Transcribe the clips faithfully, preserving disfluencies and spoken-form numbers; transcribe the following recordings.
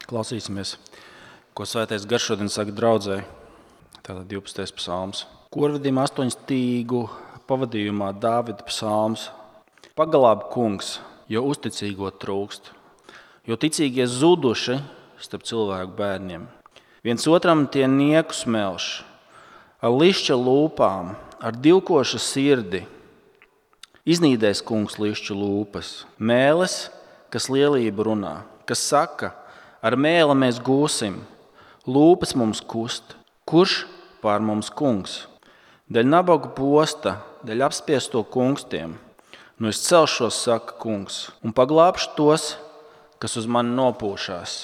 Klausīsimies, ko Svētais Gars šodien saka draudzei. Tātad divpadsmitais psalms. Korvedim astoņstīgu pavadījumā Dāvida psalms. Paglāb kungs, jo uzticīgo trūkst, jo ticīgie zuduši starp cilvēku bērniem. Viens otram tie nieku smelš, ar lišķa lūpām, ar divkoša sirdi. Iznīdēs kungs lišķu lūpas, mēles, kas lielību runā, kas saka, ar mēli mēs gūsim, lūpas mums kust, kurš pār mums kungs? Dēļ nabagu posta, dēļ apspiesto kungstiem, nu es celšos, saka kungs, un paglābšu tos, kas uz mani nopūšās.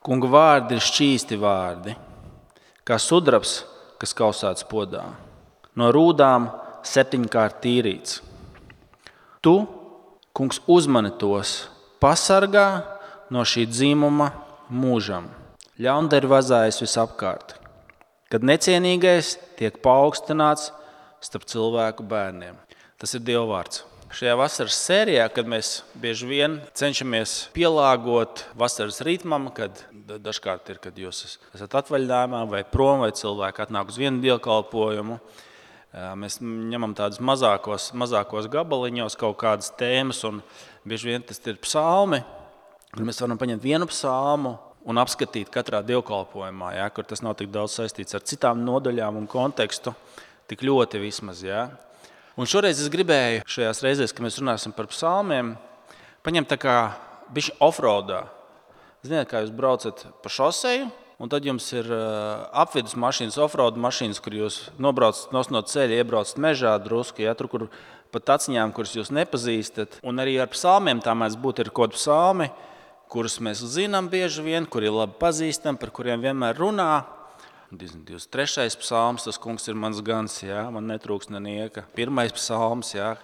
Kunga vārdi ir šķīsti vārdi, kā sudrabs, kas kausēts podā, no rūdām septiņkārt tīrīts. Tu, kungs, uzmani tos, pasargā no šī dzimuma mūžam. Ļaundari vazājas visapkārt, kad necienīgais tiek paaugstināts starp cilvēku bērniem. Tas ir Dieva vārds. Šajā vasaras sērijā, kad mēs bieži vien cenšamies pielāgot vasaras ritmam, kad dažkārt ir, kad jūs esat atvaļinājumā vai prom, vai cilvēki atnāk uz vienu dievkalpojumu, mēs ņemam tādus mazākos, mazākos gabaliņos kaut kādas tēmas, un bieži vien tas ir psalmi, kur mēs varam paņemt vienu psalmu un apskatīt katrā dievkalpojumā, ja, kur tas nav tik daudz saistīts ar citām nodaļām un kontekstu, tik ļoti vismaz. Ja. Un šoreiz es gribēju šajās reizēs, kad mēs runāsim par psalmiem, paņemt tā kā bišķi offroadā. Ziniet, kā jūs braucat pa šoseju, un tad jums ir apvidus mašīnas, offroad mašīnas, kur jūs nobraucat no ceļa, iebraucat mežā drusku, ja, tur, kur pa taciņām, kuras jūs nepazīstat. Un arī ar psalmiem tā mēs būtu ir kaut psalmi, kurus mēs zinām bieži vien, kuri ir labi pazīstam, par kuriem vienmēr runā. divdesmit trešais psalms, tas kungs ir mans gans, ja, man netrūks nenieka. Pirmais psalms, ja,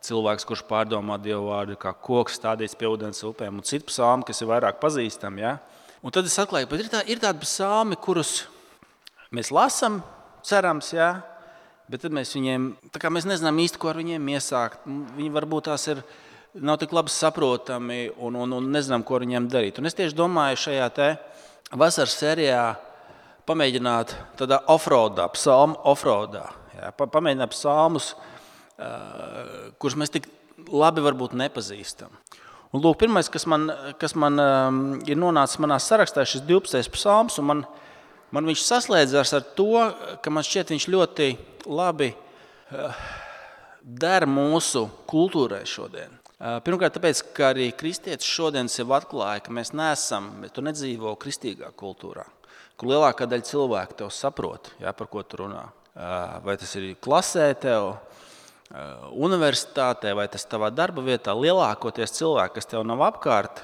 cilvēks, kurš pārdomā Dievu vārdu, kā koks stādīts pie ūdens upēm, un citu psalmu, kas ir vairāk pazīstami. Ja. Un tad es atklāju, ka ir, tā, ir tādi psalmi, kurus mēs lasam, cerams, ja, bet tad mēs viņiem, tā kā mēs nezinām īsti, ko ar viņiem iesākt. Viņi varbūt tās ir, nav tik labi saprotami un, un, un nezinām, ko ar viņiem darīt. Un es tieši domāju šajā te vasaras sērijā pamēģināt tādā offroadā, psalmu offroadā. Ja, pamēģināt psalmus, uh, kurus mēs tik labi varbūt nepazīstam. Un lūk, pirmais, kas man, kas man um, ir nonācis manā sarakstā, šis divpadsmitais psalms, un man, man viņš saslēdzās ar to, ka man šķiet viņš ļoti labi uh, der mūsu kultūrai šodien. Uh, pirmkārt, tāpēc, ka arī kristietis šodien sev atklāja, ka mēs neesam, bet tu nedzīvo kristīgā kultūrā, kur lielākā daļa cilvēku tev saprot, jā, par ko tu runā. Uh, vai tas ir klasē tev, universitātē vai tas tavā darba vietā, lielākoties cilvēki, kas tev nav apkārt,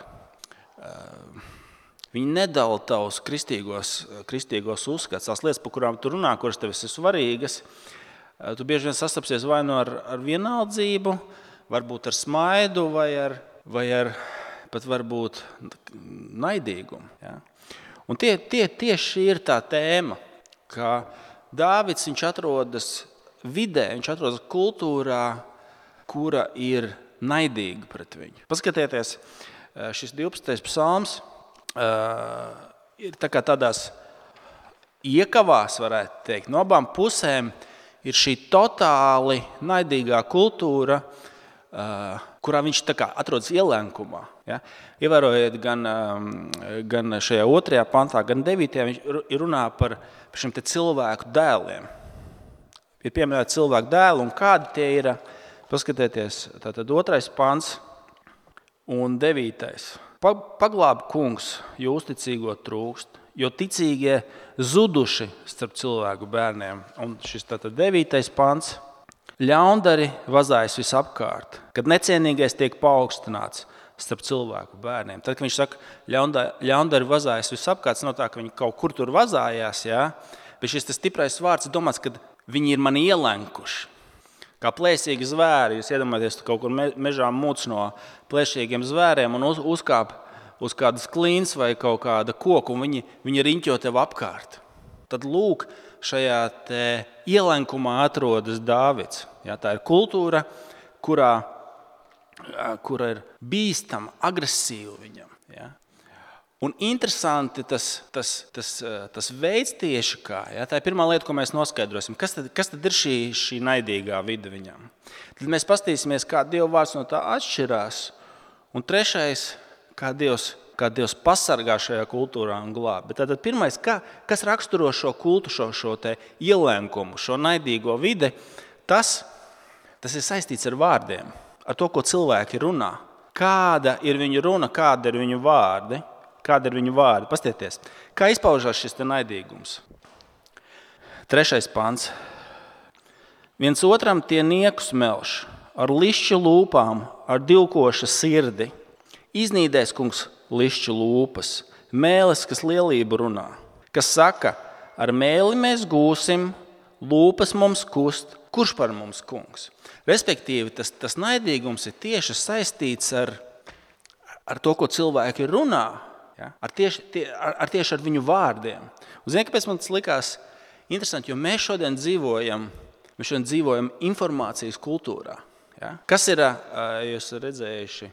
viņi nedala tavus kristīgos, kristīgos uzskats, tās lietas, par kurām tu runā, kuras tev ir svarīgas. Tu bieži vien sastapsies vai nu ar, ar vienaldzību, varbūt ar smaidu vai ar, vai ar pat varbūt naidīgumu. Ja? Un tie, tie tieši ir tā tēma, ka Dāvids viņš atrodas vidē, viņš atrodas kultūrā, kura ir naidīga pret viņu. Paskatieties, šis divpadsmitais psalms uh, ir tā kā tādās iekavās, varētu teikt. No abām pusēm ir šī totāli naidīgā kultūra, uh, kurā viņš tā kā atrodas ielenkumā. Ja? Ievērojiet gan, um, gan šajā otrajā pantā, gan devītajā, viņš runā par šiem te cilvēku dēliem. Ir pieminēti cilvēku dēli, un kādi tie ir, paskatieties, tātad otrais pants un devītais. Paglāb kungs, jo uzticīgo trūkst, jo ticīgie zuduši starp cilvēku bērniem. Un šis tātad devītais pants. Ļaundari vazājas visapkārt, kad necienīgais tiek paaugstināts starp cilvēku bērniem. Tad, kad viņš saka, ļaundari vazājas visapkārt, tas nav tā, ka viņi kaut kur tur vazājās, jā, bet šis tas stiprais vārds ir domāts, kad viņi ir mani ielenkuši. Kā plēsīgi zvēri, jūs iedomājaties, tu kaut kur mežā mūc no plēšīgiem zvēriem un uz, uzkāp uz kādas klīns vai kaut kāda koku, un viņi, viņi riņķo tev apkārt. Tad lūk, šajā te ielenkumā atrodas Dāvids. Ja, tā ir kultūra, kurā, kura ir bīstama, agresīva viņam. Ja. Un interesanti tas, tas, tas, tas veids tieši kā. Ja? Tā ir pirmā lieta, ko mēs noskaidrosim. Kas tad, kas tad ir šī, šī naidīgā vide viņam? Tad mēs paskatīsimies, kā Dieva vārds no tā atšķirās. Un trešais, kā Dievs, kā Dievs pasargā šajā kultūrā un glāb. Bet tad pirmais, kā, kas raksturo šo kultu, šo, šo te ielēnkumu, šo naidīgo vide, tas, tas ir saistīts ar vārdiem, ar to, ko cilvēki runā. Kāda ir viņu runa, kāda ir viņu vārdi? Kāda ir viņu vārdi? Pastieties, kā izpaužās šis te naidīgums. Trešais pants. Viens otram tie niekus melš, ar lišķu lūpām, ar divkoša sirdi. Iznīdēs kungs lišķu lūpas, mēlis, kas lielību runā. Kas saka, ar mēli mēs gūsim, lūpas mums kust, kurš par mums kungs? Respektīvi, tas, tas naidīgums ir tieši saistīts ar, ar to, ko cilvēki runā. Ja? Ar, tieši, tie, ar, ar tieši ar viņu vārdiem. Un zini, kāpēc man tas likās interesanti, jo mēs šodien dzīvojam, mēs šodien dzīvojam informācijas kultūrā. Ja? Kas ir, jūs redzējuši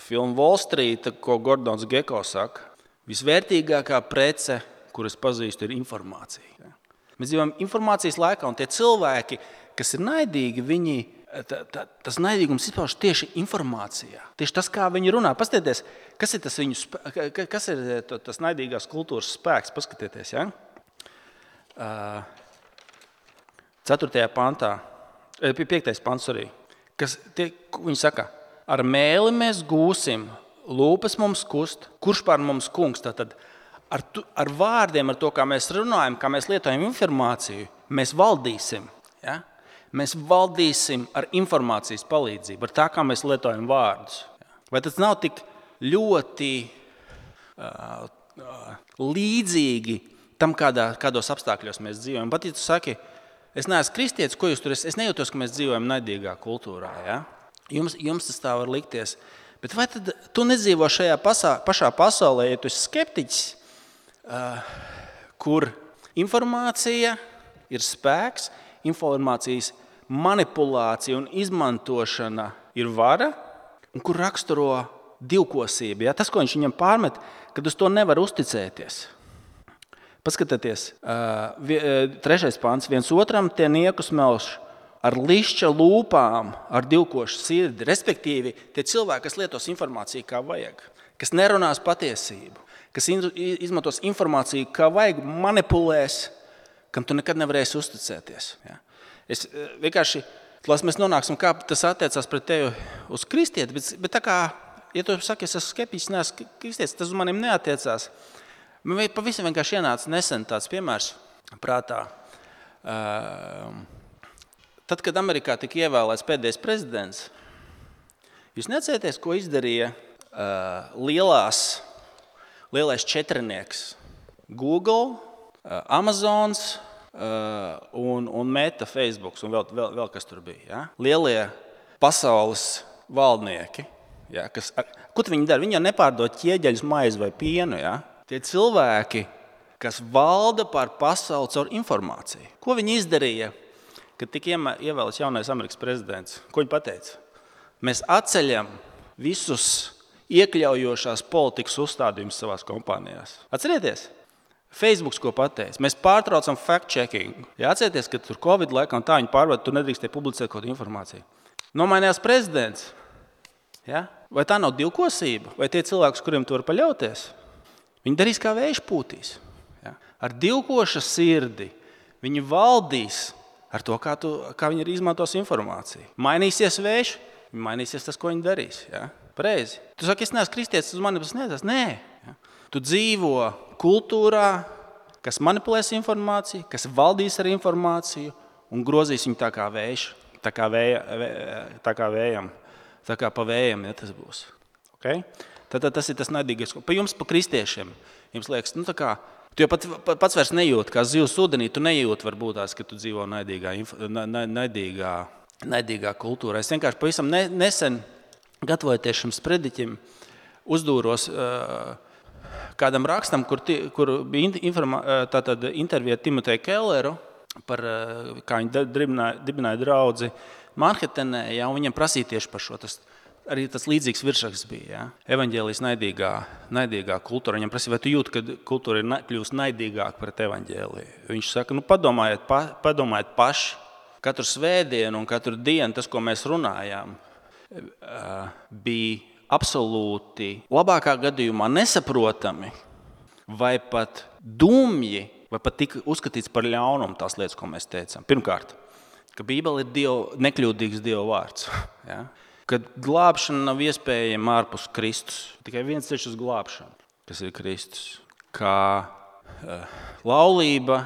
filmu Wall Street, ko Gordons Gekko saka, visvērtīgākā prece, kuras pazīstu, ir informācija. Ja? Mēs dzīvojam informācijas laikā, un tie cilvēki, kas ir naidīgi, viņi Tā, tā, tas naidīgums izpauž tieši informācijā. Tieši tas, kā viņi runā. Paskatieties, kas ir tas, viņu, kas ir tas naidīgās kultūras spēks. Paskatieties, ja? Ceturtajā pantā, piektais pants arī. Kas tie, viņi saka, ar mēli mēs gūsim, lūpas mums kust, kurš par mums kungs. Tātad ar, tu, ar vārdiem, ar to, kā mēs runājam, kā mēs lietojam informāciju, mēs valdīsim, ja? Mēs valdīsim ar informācijas palīdzību, ar tā, kā mēs lietojam vārdus. Vai tas nav tik ļoti uh, uh, līdzīgi tam, kādā, kādos apstākļos mēs dzīvojam? Pat, ja tu saki, es neesmu kristietis, ko jūs tur esat? Es nejūtos, ka mēs dzīvojam naidīgā kultūrā. Ja? Jums, jums tas tā var likties. Bet vai tad tu nedzīvo šajā pasā, pašā pasaulē, ja tu esi skeptiķis, uh, kur informācija ir spēks, informācijas manipulācija un izmantošana ir vara, un kur raksturo divkosība. Ja? Tas, ko viņš viņam pārmet, kad uz to nevar uzticēties. Paskatieties, trešais pants. Viens otram tie niekus melš ar lišķa lūpām, ar divkošu sirdi. Respektīvi, tie cilvēki, kas lietos informāciju kā vajag, kas nerunās patiesību, kas izmantos informāciju kā vajag, manipulēs, kam tu nekad nevarēsi uzticēties. Ja? Es vienkārši, lai mēs nonāksim, kā tas attiecās pret tevi uz kristieti, bet, bet tā kā, ja tu saki, es esmu skeptiķis, neesmu kristietis, tas uz maniem neatiecās. Man pavisam vienkārši ienāca nesen tāds piemērs prātā. Tad, kad Amerikā tika ievēlēts pēdējais prezidents, jūs neatcerieties, ko izdarīja lielās, lielais četrnieks Google, Amazons, Uh, un, un Meta, Facebook un vēl, vēl, vēl kas tur bija. Ja? Lielie pasaules valdnieki. Ja? Kas, ar, ko viņi dara? Viņi jau nepārdod ķieģeļus, maizi vai pienu. Ja? Tie cilvēki, kas valda pār pasauli caur informāciju. Ko viņi izdarīja, kad tika ievēlēts jaunais Amerikas prezidents? Ko viņi pateica? Mēs atceļam visus iekļaujošās politikas uzstādījumus savās kompānijās. Atcerieties? Facebook, ko pateica, mēs pārtraucam fact-checking. Ja atcerieties, ka tur Covid laikā un tā viņi pārbauda, tur nedrīkstēja publicēt kaut informāciju. Nomainījās prezidents. Ja? Vai tā nav divkosība? Vai tie cilvēki, kuriem tu var paļauties? Viņi darīs kā vējš pūtīs. Ja? Ar divkoša sirdi viņi valdīs ar to, kā, tu, kā viņi izmantos informāciju. Mainīsies vējš, mainīsies tas, ko viņi darīs. Ja? Pareizi. Tu saki, es neesmu kristietis, uz mani tas neatās. Nē. Ja? Tu dzīvo kultūrā, kas manipulēs informāciju, kas valdīs ar informāciju un grozīs viņu tā kā vējš, tā kā, vēja, tā kā vējam, tā kā pa vējam, ja tas būs. Okay? Tad, tad tas ir tas naidīgais. Pa jums, pa kristiešiem, jums liekas, nu tā kā, tu jau pat, pats vairs nejūti, kā zivs ūdenī, tu nejūti varbūt tās, ka tu dzīvo naidīgā, naidīgā, naidīgā kultūrā. Es vienkārši pavisam nesen, gatavojoties šim sprediķim, uzdūros uh, kādam rakstam, kur, ti, kur bija informā, tātad intervija Timoteju Kelleru, par, kā viņi dibināja, dibināja draudzi Manhetenē, ja, un viņam prasīja tieši par šo. Tas arī tas līdzīgs virsraksts bija. Ja? Evaņģēlijas naidīgā, naidīgā kultūra. Viņam prasīja, vai tu jūti, ka kultūra ir kļūst naidīgāka pret evaņģēliju? Viņš saka, nu padomājiet, pa, padomājiet paši. Katru svētdienu un katru dienu tas, ko mēs runājām, bija absolūti labākā gadījumā nesaprotami vai pat dumji, vai pat tika uzskatīts par ļaunumu tās lietas, ko mēs teicām. Pirmkārt, ka Bībele ir Dievu, nekļūdīgs Dieva vārds. Ja? Kad glābšana nav iespējama ārpus Kristus. Tikai viens ceļš uz glābšanu, kas ir Kristus. Kā uh, laulība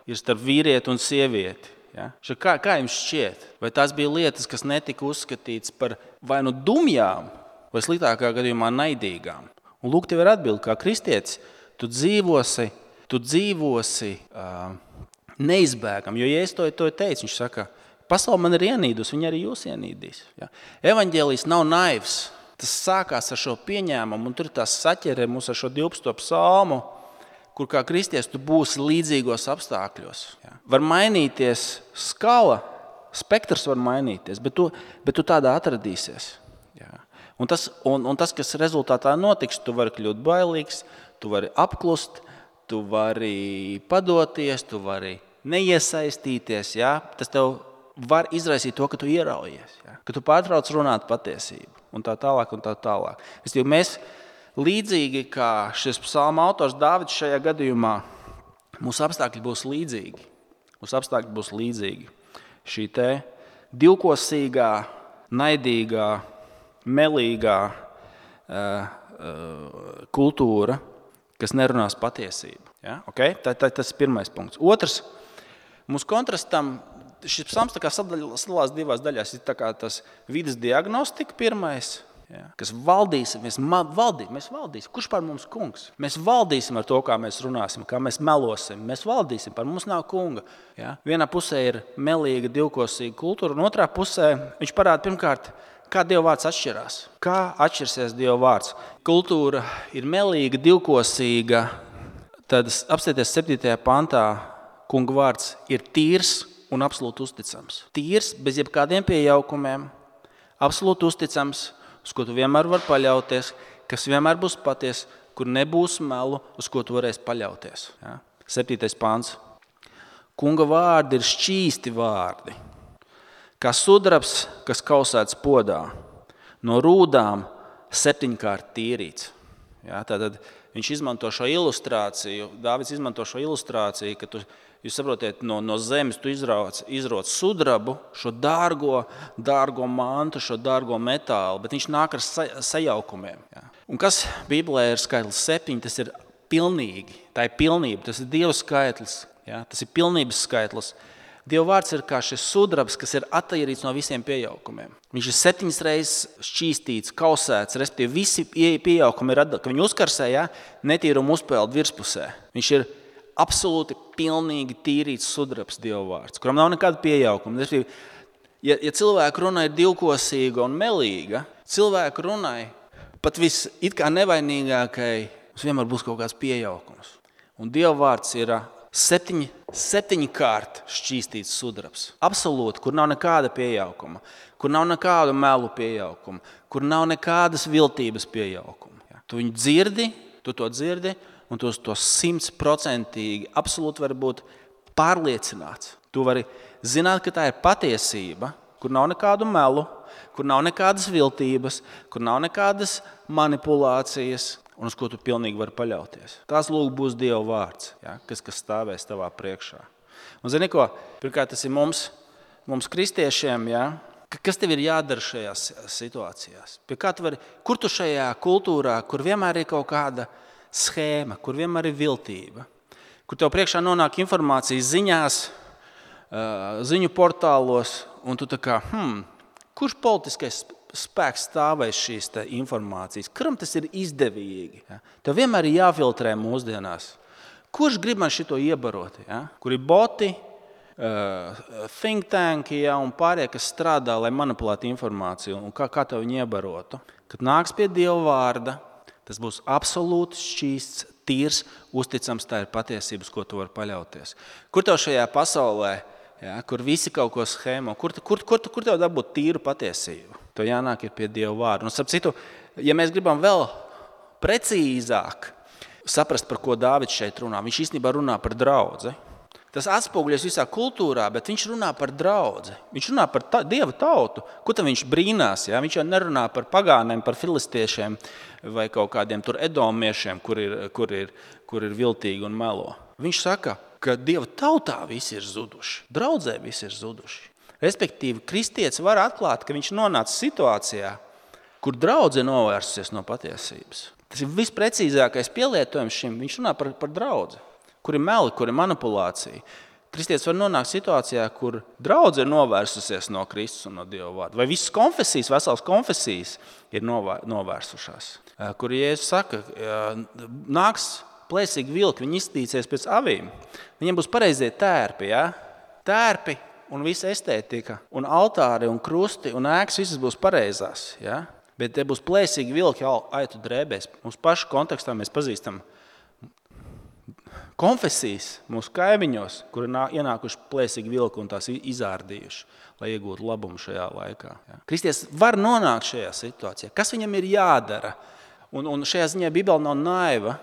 ir starp vīrieti un sievieti. Ja? Kā, kā jums šķiet? Vai tās bija lietas, kas netika uzskatīts par vai nu dumjām, vai sliktākā gadījumā naidīgām? Un lūk, tev ir atbildi, kā kristietis, tu dzīvosi, tu dzīvosi uh, neizbēgam. Jo, ja es to, to teicu, viņš saka, pasaule man ir ienīdus, viņa arī jūs ienīdīs. Ja? Evaņģēlijs nav naivs. Tas sākās ar šo pieņēmumu, un tur tās saķerē mūs ar šo divpadsmito psalmu, kur kā kristietis tu būsi līdzīgos apstākļos. Ja? Var mainīties skala, spektrs var mainīties, bet tu, bet tu tādā atradīsies. Ja? Un, tas, un, un tas, kas rezultātā notiks, tu vari kļūt bailīgs, tu vari apklust, tu vari padoties, tu vari neiesaistīties. Ja? Tas tev var izraisīt to, ka tu ieraujies, ja? Ka tu pārtrauc runāt patiesību un tā tālāk un tā tālāk. Es jau mēs līdzīgi kā šis psalma autors Dāvids šajā gadījumā, mūsu apstākļi būs līdzīgi. Mūsu apstākļi būs līdzīgi. Šī te divkosīgā, naidīgā, melīgā uh, uh, kultūra, kas nerunās patiesību. Ja? Okay? Tā, tā, tas ir pirmais punkts. Otrs, mūsu kontrastam, šis psalms tā kā sadalās divās daļās. Ir tā kā tas vides diagnostika pirmais, ja? Kas valdīsim, mēs, valdī, mēs valdīsim. Kurš par mums kungs? Mēs valdīsim ar to, kā mēs runāsim, kā mēs melosim. Mēs valdīsim, par mums nav kunga. Ja? Vienā pusē ir melīga, divkosīga kultūra, un otrā pusē viņš parāda pirmkārt, kā Dieva vārds atšķirās? Kā atšķirsies Dieva vārds? Kultūra ir melīga, divkosīga. Tad apstieties septītajā pantā, kunga vārds ir tīrs un absolūti uzticams. Tīrs, bez jebkādiem piejaukumiem, absolūti uzticams, uz ko tu vienmēr vari paļauties, kas vienmēr būs paties, kur nebūs melu, uz ko tu varēsi paļauties. Ja? Septītais pants. Kunga vārdi ir šķīsti vārdi. Kā sudrabs, kas kausēts podā, no rūdām septiņkārt tīrīts. Ja, tātad viņš izmanto šo ilustrāciju, Dāvids izmanto šo ilustrāciju, ka tu, jūs saprotiet, no, no zemes tu izrauc, izrauc sudrabu, šo dārgo, dārgo mantu, šo dārgo metālu, bet viņš nāk ar sa, sajaukumiem. Ja. Un kas Bībelē ir skaitlis septiņi, tas ir pilnīgi, tā ir pilnība, tas ir Dieva skaitlis, ja, tas ir pilnības skaitlis. Dieva vārds ir kā šis sudrabs, kas ir attīrīts no visiem piejaukumiem. Viņš ir septiņas reizes šķīstīts, kausēts, respektīvi visi piejaukumi ir atdalīti. Kad viņu uzkarsē, ja, netīrumu uzpeld virspusē. Viņš ir absolūti pilnīgi tīrīts sudrabs Dieva vārds, kuram nav nekāda piejaukuma. Ja, ja cilvēku runa ir divkosīga un melīga, cilvēku runai pat viss it kā nevainīgākai, mums vienmēr būs kaut kāds piejaukums. Un Dieva vārds ir Septiņi, septiņkārt šķīstīts sudrabs. Absolūti, kur nav nekāda piejaukuma, kur nav nekādu melu piejaukuma, kur nav nekādas viltības piejaukuma. Ja. Tu viņu dzirdi, tu to dzirdi, un tu to simtprocentīgi absolūti vari būt pārliecināts. Tu vari zināt, ka tā ir patiesība, kur nav nekādu melu, kur nav nekādas viltības, kur nav nekādas manipulācijas, un uz ko tu pilnīgi vari paļauties. Tās lūk būs Dieva vārds, ja, kas, kas stāvēs tavā priekšā. Un zini ko, pirmkārt tas ir mums, mums kristiešiem, ja, kas tev ir jādara šajās situācijās? Pie kā tu vari, kur tu šajā kultūrā, kur vienmēr ir kaut kāda schēma, kur vienmēr ir viltība, kur tev priekšā nonāk informācija ziņās, ziņu portālos, un tu tā kā, hmm, kurš politiskais spēks stāvēs šīs te informācijas. Kuram tas ir izdevīgi? Ja? Tev vienmēr ir jāfiltrē mūsdienās. Kurš grib man šito iebarot? Ja? Kur ir boti, uh, think tanki, ja, un pārējie, kas strādā, lai manipulētu informāciju, un kā, kā tev viņu iebarotu? Kad nāks pie Dieva vārda, tas būs absolūti šķīsts, tīrs, uzticams, tā ir patiesības, ko tu vari paļauties. Kur tev šajā pasaulē ja, kur visi kaut ko schēmo. Kur, kur, kur, kur tev dabūt tīru patiesību? Tev jānāk ir pie Dieva vārda. Un, starp citu, ja mēs gribam vēl precīzāk saprast, par ko Dāvids šeit runā, viņš īstenībā runā par draudzi. Tas atspoguļojas visā kultūrā, bet viņš runā par draudzi. Viņš runā par ta, Dieva tautu. Ko tad viņš brīnās? Ja? Viņš jau nerunā par pagāniem, par filistiešiem vai kaut kādiem tur edomiešiem, kur ir, kur ir, kur ir viltīgi un melo. Viņš saka, ka Dieva tautā visi ir zuduši. Draudzē visi ir zuduši. Respektīvi, kristietis var atklāt, ka viņš nonāca situācijā, kur draudze novērsusies no patiesības. Tas ir visprecīzākais pielietojums šim. Viņš runā par, par draudzi. Kur ir meli, kur ir manipulācija. Kristietis var nonākt situācijā, kur draudze ir novērsusies no Kristus un no Dieva vārda. Vai visas konfesijas, veselas konfesijas ir novērsušās. Kur Jēzus saka, nāks plēsīgi vilki, viņi iztīcies pēc avīm. Viņiem būs pareizie tērpi, ja? Tērpi un visa estētika, un altāri, un krusti, un ēkas, visas būs pareizās. Ja? Bet te būs plēsīgi vilki aitu drēbēs. Mums pašu kontekstā mēs pazīstam konfesijas mūsu kaimiņos, kur ir ienākuši plēsīgi vilki un tās izārdījuši, lai iegūtu labumu šajā laikā. Ja. Kristietis var nonākt šajā situācijā. Kas viņam ir jādara? Un, un šajā ziņā Bībele nav naiva.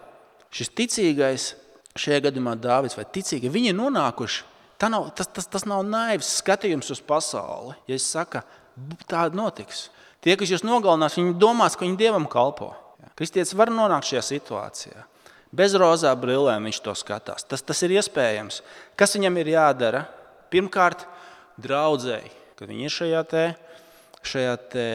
Šis ticīgais, šajā gadījumā Dāvids vai ticīgi, viņi ir nonākuši. Tā nav, tas, tas, tas nav naivs skatījums uz pasauli. Ja es saku, tā notiks. Tie, kas jūs nogalinās, viņi domās, ka viņi Dievam kalpo. Ja. Kristietis var nonākt šajā situācijā. Bez rozā brillēm viņš to skatās. Tas, tas ir iespējams. Kas viņam ir jādara? Pirmkārt, draudzēji, kad viņi ir šajā te, šajā te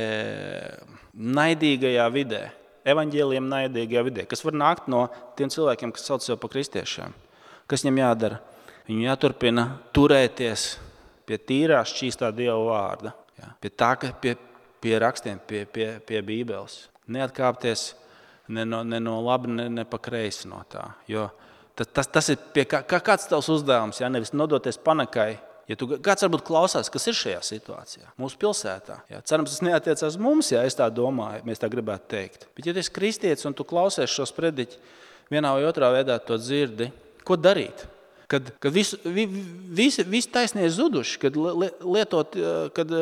naidīgajā vidē, evaņģēlijam naidīgajā vidē, kas var nākt no tiem cilvēkiem, kas sauc sev par kristiešiem. Kas viņam jādara? Viņu jāturpina turēties pie tīrā šķīstā Dieva vārda, jā, pie tā, pie, pie rakstiem, pie, pie, pie Bībeles. Neatkāpties ne no, ne no labi, ne, ne pa kreisi no tā. Jo tas, tas, tas ir pie kā, kāds tavs uzdevums, ja nevis nodoties panikai. Ja tu, kāds varbūt klausās, kas ir šajā situācijā, mūsu pilsētā. Ja, cerams, tas neatiecās mums, ja es tā domāju, mēs tā gribētu teikt. Bet ja tu esi kristietis un tu klausies šos prediķi, vienā vai otrā veidā to dzirdi, ko darīt? Kad, kad visu, vi, visi, visi taisnie zuduši, kad, lietot, kad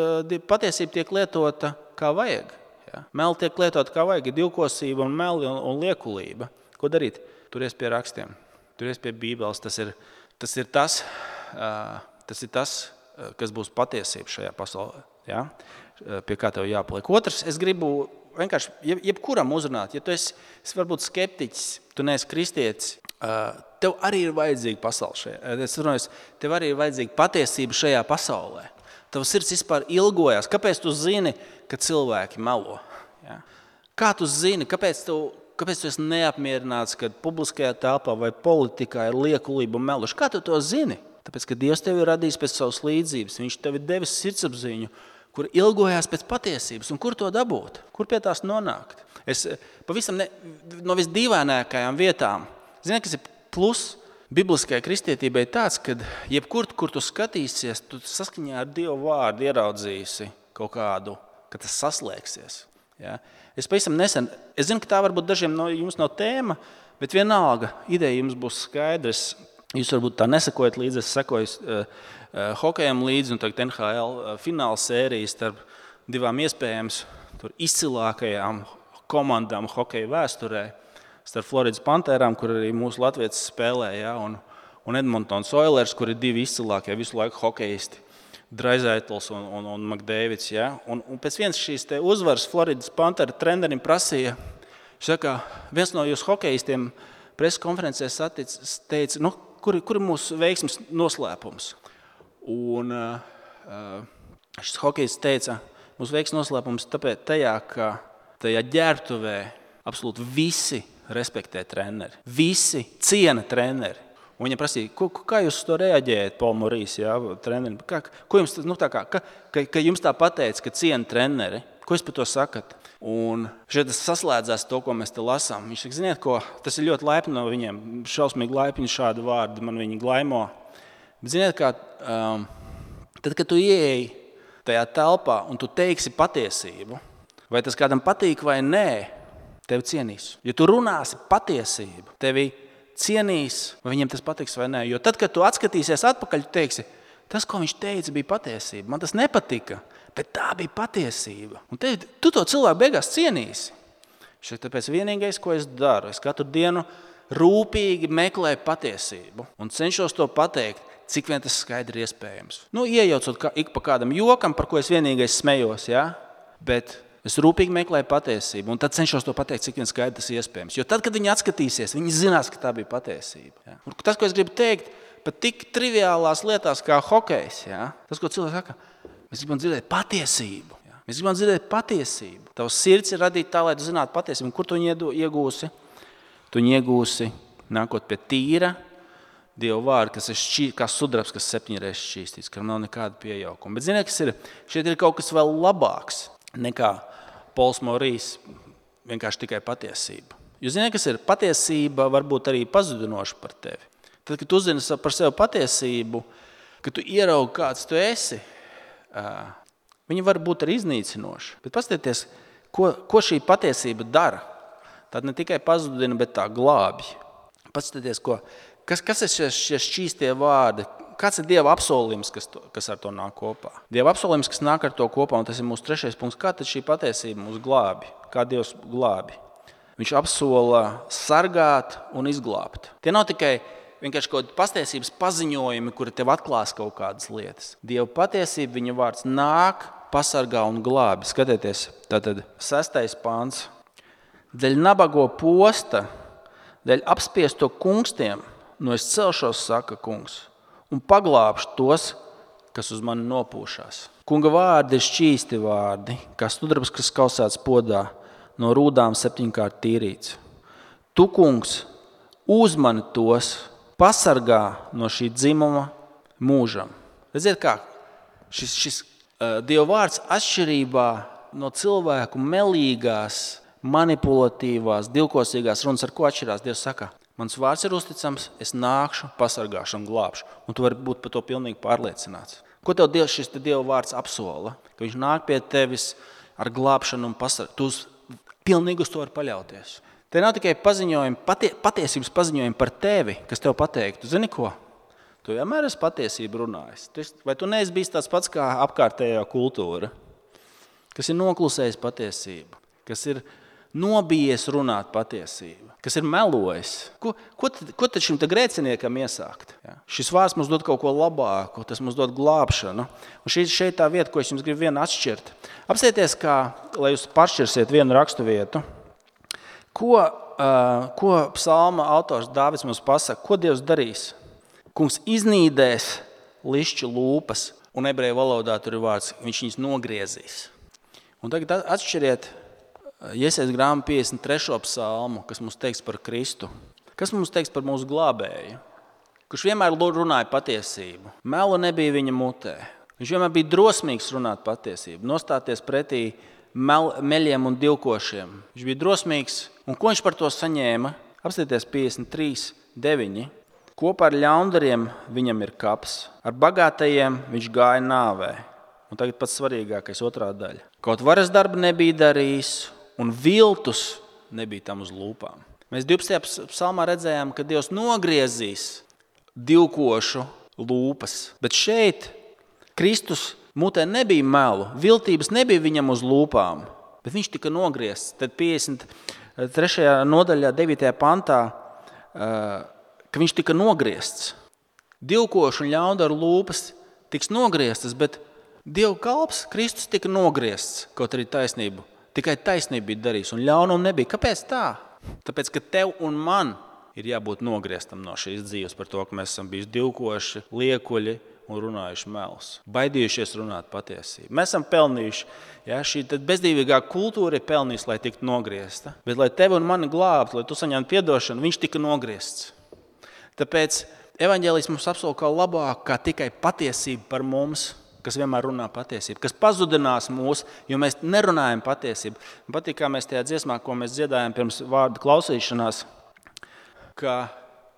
patiesība tiek lietota kā vajag. Ja? Meli tiek lietot kā vajag, divkosība un meli un, un liekulība. Ko darīt? Turies pie rakstiem, turies pie Bībeles. Tas ir tas, ir tas, uh, tas, ir tas kas būs patiesība šajā pasaulē. Ja? Pie kā tev jāpaliek. Otrs, es gribu vienkārši jeb, jebkuram uzrunāt. Ja tu esi, esi varbūt skeptiķis, tu neesi kristietis, uh, tev arī ir vajadzīga pasaule šajā. Es runāju, tev arī ir vajadzīga patiesība šajā pasaulē. Tavs sirds vispār ilgojas. Kāpēc tu zini, ka cilvēki melo? Ja? Kā tu zini, kāpēc tu, kāpēc tu esi neapmierināts, kad publiskajā telpā vai politikā ir liekulība un meluši? Kā tu to zini? Tāpēc, ka Dievs tevi ir radījis pēc savas līdzības. Viņš tev ir devis sirdsapziņu, kur ilgojas pēc patiesības. Un kur to dabūt? Kur pie tās nonākt? Es pavisam ne, no visdīvainākajām vietām. Zini, kas ir plus? Bibliskajai kristietībai tāds, ka jebkur, kur tu skatīsies, tu saskaņā ar Dievu vārdu ieraudzīsi kaut kādu, ka tas saslēgsies. Ja? Es pavisam nesen, es zinu, ka tā varbūt dažiem no jums nav tēma, bet vienalga ideja jums būs skaidrs. Jūs varbūt tā nesakojat līdzi, es sekoju uh, uh, hokejam līdzi un tagad N H L uh, fināla sērijas starp divām iespējams tur izcilākajām komandām hokeja vēsturē. Starp Floridas Pantērām, kur arī mūsu latvietis spēlē, ja, un, un Edmontons Oilers, kur ir divi izcilākie visu laiku hokeisti, Draisaitls un, un, un McDavids. Ja. Un, un pēc vienas šīs te uzvaras Floridas Pantēra trenerim prasīja, saka, viens no jūsu hokeistiem preskonferencē saticis, teica, nu, kur, kur ir mūsu veiksmes noslēpums? Un uh, šis hokejists teica, mūsu veiksmes noslēpums tāpēc tajā, ka tajā ģērbtuvē absolūti visi respektē treneri. Visi ciena treneri. Un viņa prasīja, ko, kā jūs to reaģējat, Paul Morīs, jā, treneri? Kā, ko jums, nu, tā kā, ka, ka, ka jums tā pateica, ka ciena treneri? Ko jūs par to sakat? Un šeit tas saslēdzās to, ko mēs te lasām. Viņš saka, ziniet, ko, tas ir ļoti laipni no viņiem. Šausmīgi laipni šādu vārdu, man viņi glaimo. Bet ziniet, kā, um, tad, kad tu ieeji tajā telpā un tu teiksi patiesību, vai tas kādam patīk vai nē, tevi cienīs. Ja tu runāsi patiesību, tevi cienīs, vai viņiem tas patiks vai nē. Jo tad, kad tu atskatīsies atpakaļ, tu teiksi, tas, ko viņš teica, bija patiesība. Man tas nepatika, bet tā bija patiesība. Un te, tu to cilvēku beigās cienīsi. Tāpēc vienīgais, ko es daru, es katru dienu rūpīgi meklēju patiesību un cenšos to pateikt, cik vien tas skaidri iespējams. Nu, iejaucot kā, ik pa kādam jokam, par ko es vienīgais smējos, ja? Bet es rūpīgi meklēju patiesību un tad cenšos to pateikt, cik vien skaidri tas iespējams. Jo tad, kad viņi atskatīsies, viņi zinās, ka tā bija patiesība. Ja? Un tas, ko es gribu teikt, pat tik triviālās lietās kā hokejs, ja? Tas, ko cilvēks saka, mēs gribam dzirdēt patiesību. Ja? Mēs gribam dzirdēt patiesību. Tavs sirds ir radīta tā, lai tu zinātu patiesību. Un kur tu viņu iegūsi? Tu viņu iegūsi nākot pie tīra Dieva vārda, kas ir šķī, kā sudrabs, kas septiņreiz šķīstīts, kam nav nekāda piejaukuma. Bet ziniet, kas ir? Šeit ir kaut kas vēl labāks nekā Pols Morīs, vienkārši tikai patiesība. Jo ziniet, kas ir? Patiesība var būt arī pazudinoša par tevi. Tad, kad tu uzzini par sevi patiesību, kad tu ieraugi, kāds tu esi, viņa var būt arī iznīcinoša. Bet paskatieties, ko, ko šī patiesība dara. Tad ne tikai pazudina, bet tā glābj. Paskatieties, ko, kas, kas ir šie, šie šķīstie vārdi? Kāds ir Dieva apsolījums, kas, to, kas ar to nāk kopā? Dieva apsolījums, kas nāk ar to kopā, un tas ir mūsu trešais punkts. Kā tad šī patiesība mūs glābi? Kā Dievs glābi? Viņš apsola sargāt un izglābt. Tie nav tikai vienkārši kaut kādi patiesības paziņojumi, kuri tev atklās kaut kādas lietas. Dieva patiesība, viņa vārds nāk, pasargā un glābi. Skatieties, tātad sestais pāns. Dēļ nabago posta, dēļ apspiesto kungstiem, no es celšos, saka kungs, un paglābšu tos, kas uz mani nopūšās. Kunga vārdi ir šķīsti vārdi, kā sudrabs, kas kausēts podā, no rūdām septiņkārt tīrīts. Tu, kungs, uzmani tos, pasargā no šī dzimuma mūžam. Redziet kā, šis, šis uh, Dieva vārds atšķirībā no cilvēku melīgās, manipulatīvās, divkosīgās runas, ar ko atšķirās. Dievs saka, mans vārds ir uzticams, es nākšu, pasargāšu un glābšu. Un tu vari būt par to pilnīgi pārliecināts. Ko tev Dievs, šis te Dieva vārds apsola? Ka viņš nāk pie tevis ar glābšanu un pasargāšanu. Tu pilnīgi uz to vari paļauties. Te nav tikai paziņojumi, patie, patiesības paziņojumi par tevi, kas tev pateiktu. Zini ko? Tu vienmēr esi patiesību runājis. Vai tu neesi bijis tāds pats kā apkārtējā kultūra, kas ir noklusējis patiesību, kas ir nobijies runāt patiesību, kas ir melojis. Ko, ko, tad, ko tad šim te grēciniekam iesākt? Ja? Šis vārds mums dod kaut ko labāku, tas mums dod glābšanu. Un šī šeit tā vieta, ko es jums gribu vienu atšķirt. Apsieties, kā, lai jūs pašķirsiet vienu rakstu vietu. Ko, uh, ko psalma autors Dāvids mums pasaka? Ko Dievs darīs? Kungs iznīdēs lišķu lūpas, un ebreju valodā tur ir vārds, viņš viņus nogriezīs. Un tagad atšķiriet Iesaijas grāmatu piecdesmit trešo psalmu, kas mums teiks par Kristu. Kas mums teiks par mūsu glābēju? Kurš vienmēr runāja patiesību. Melu nebija viņa mutē. Viņš vienmēr bija drosmīgs runāt patiesību, nostāties pretī mel, meļiem un divkošiem. Viņš bija drosmīgs. Un ko viņš par to saņēma? Apstieties piecdesmit trīs deviņi. Kopā ar ļaundariem viņam ir kaps. Ar bagātajiem viņš gāja nāvē. Un tagad pats svarīgākais otrā daļa. Kaut varas darba nebija darījis, un viltus nebija tam uz lūpām. Mēs divpadsmitajā psalmā redzējām, ka Dievs nogriezīs divkošu lūpas. Bet šeit Kristus mutē nebija melu, viltības nebija viņam uz lūpām, bet viņš tika nogriezts. Tad piecdesmit trešajā nodaļā, devītajā pantā, ka viņš tika nogriezts. Divkošu un ļaundaru lūpas tiks nogrieztas, bet Dieva kalps Kristus tika nogriezts, kaut arī taisnību. Tikai taisnība bija darījis, un ļaunuma nebija. Kāpēc tā? Tāpēc, ka tev un man ir jābūt nogrieztam no šīs dzīves par to, ka mēs esam bijuši divkoši, liekuļi un runājuši melus. Baidījušies runāt patiesību. Mēs esam pelnījuši, ja, šī bezdīvīgā kultūra ir pelnījusi, lai tiktu nogriezta. Bet, lai tevi un mani glābtu, lai tu saņemtu piedošanu, viņš tika nogriezts. Tāpēc evaņģēlijs mums apsola kā labāk, kā tikai patiesība par mums, kas vienmēr runā patiesību, kas pazudinās mūs, jo mēs nerunājam patiesību. Man patīk, kā mēs tajā dziesmā, ko mēs dziedājam pirms vārdu klausīšanās, ka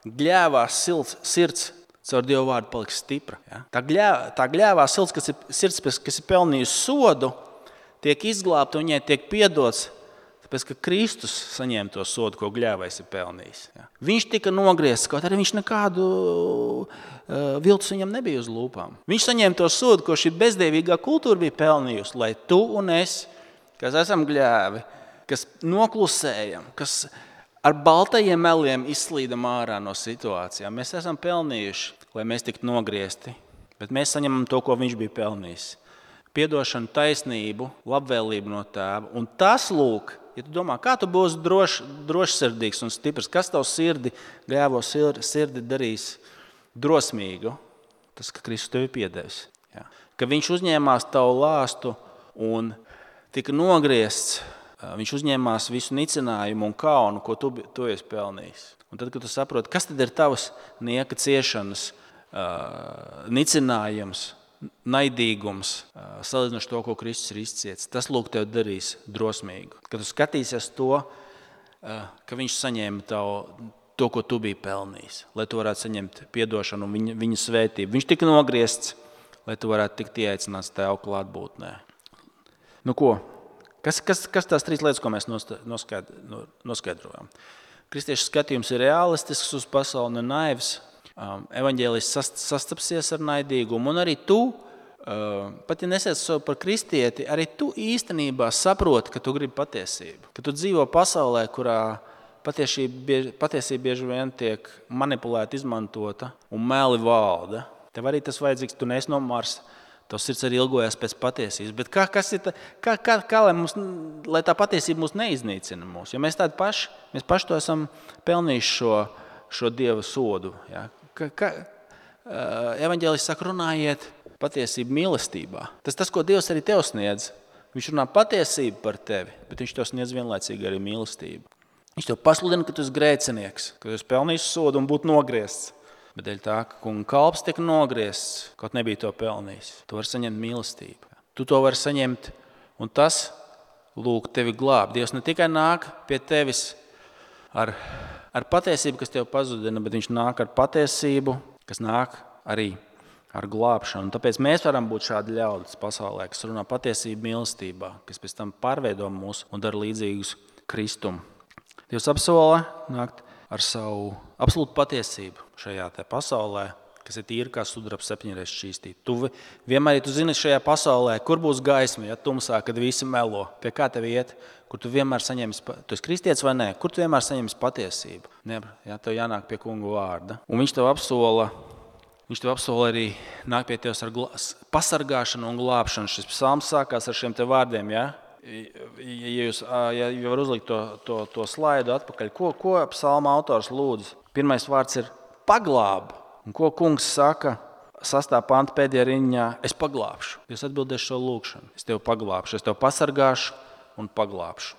gļēvā silts, sirds caur Dievu vārdu paliks stipra. Ja? Tā, gļēvā, tā gļēvā silts, kas ir, sirds, kas ir pelnījusi sodu, tiek izglābta un viņai tiek piedots, Tāpēc, ka Kristus saņēma to sodu, ko gļēvais ir pelnījis. Ja. Viņš tika nogriezts, kaut arī viņš nekādu uh, viltus viņam nebija uz lūpām. Viņš saņēma to sodu, ko šī bezdievīgā kultūra bija pelnījusi, lai tu un es, kas esam gļēvi, kas noklusējam, kas ar baltajiem meliem izslīdam ārā no situācijām, mēs esam pelnījuši, lai mēs tiktu nogriezti, bet mēs saņemam to, ko viņš bija pelnījis. Piedošanu, taisnību, labvēlību no Tēva. Un tas, lūk, ja tu domā, kā tu būsi droš, drošsirdīgs un stiprs, kas tavu sirdi, gļēvo sirdi darīs drosmīgu, tas, ka Kristus tevi piedevis. Ja. Ka viņš uzņēmās tavu lāstu un tika nogriezts, viņš uzņēmās visu nicinājumu un kaunu, ko tu, tu esi pelnījis. Un tad, kad tu saproti, kas tad ir tavas nieka ciešanas, uh, nicinājums, naidīgums, salīdzinoši to, ko Kristus ir izciets, tas lūk tev darīs drosmīgu. Kad tu skatīsies to, ka viņš saņēma tavu, to, ko tu biji pelnījis, lai tu varētu saņemt piedošanu un viņa, viņa svētību. Viņš tika nogriezts, lai tu varētu tikt ieaicināts Tēva klātbūtnē. Nu ko? Kas, kas, kas tās trīs lietas, ko mēs noskaidrojam? Kristiešu skatījums ir realistisks uz pasauli, ne naivs. Evaņģēlijs sastapsies ar naidīgumu, un arī tu, pat ja nesiec sev par kristieti, arī tu īstenībā saproti, ka tu gribi patiesību. Ka tu dzīvo pasaulē, kurā patiesība, patiesība bieži vien tiek manipulēta, izmantota un meli valda. Tev arī tas vajadzīgs, tu neesi no Marsa, tavs sirds arī ilgojas pēc patiesības. Bet kā, kas ir tā, kā, kā, kā lai, mums, lai tā patiesība mūs neiznīcina mūs? Jo mēs tādi paši, mēs paši to esam pelnījuši šo, šo Dieva sodu, ja? Ka, ka, evaņģēlijs saka, runājiet patiesību mīlestībā. Tas tas, ko Dievs arī tev sniedz. Viņš runā patiesību par tevi, bet viņš tev sniedz vienlaicīgi arī mīlestību. Viņš tev pasludina, ka tu esi grēcinieks, ka tu esi pelnījis sodu un būtu nogriezts. Bet dēļ tā, ka kunga kalps tika nogriezts, kaut nebija to pelnījis. Tu vari saņemt mīlestību. Tu to vari saņemt, un tas, lūk, tevi glāb. Dievs ne tikai nāk pie tevis ar ar patiesību, kas tev pazudina, bet viņš nāk ar patiesību, kas nāk arī ar glābšanu. Tāpēc mēs varam būt šādi ļaudis pasaulē, kas runā patiesību mīlestībā, kas pēc tam pārveido mūs un dara līdzīgus Kristum. Dievs apsola nākt ar savu absolūtu patiesību šajā te pasaulē, kas ir tīra kā sudraba septiņreiz šķīstīta. Tu vienmēr, ja tu zini šajā pasaulē, kur būs gaisma, ja tumsā, kad visi melo, pie kā tev iet, kur tu vienmēr saņems, tu esi kristietis vai nē, kur tu vienmēr saņems patiesību. Ne, ja, tev jānāk pie kunga vārda. Un viņš tev apsola, viņš tev apsola arī nāk pie tevs ar glā, pasargāšanu un glābšanu. Šis psalms sākās ar šiem te vārdiem, ja? Ja jūs ja var uzlikt to, to, to slaidu atpakaļ, ko, ko psalma autors lūdz? Pirmais vārds ir paglāb. Un ko kungs saka sastā panta pēdējā riņā? Es paglābšu. Jūs atbildēšu šo lūkšanu. Es tevi paglābšu, es tevi pasargāšu un paglābšu.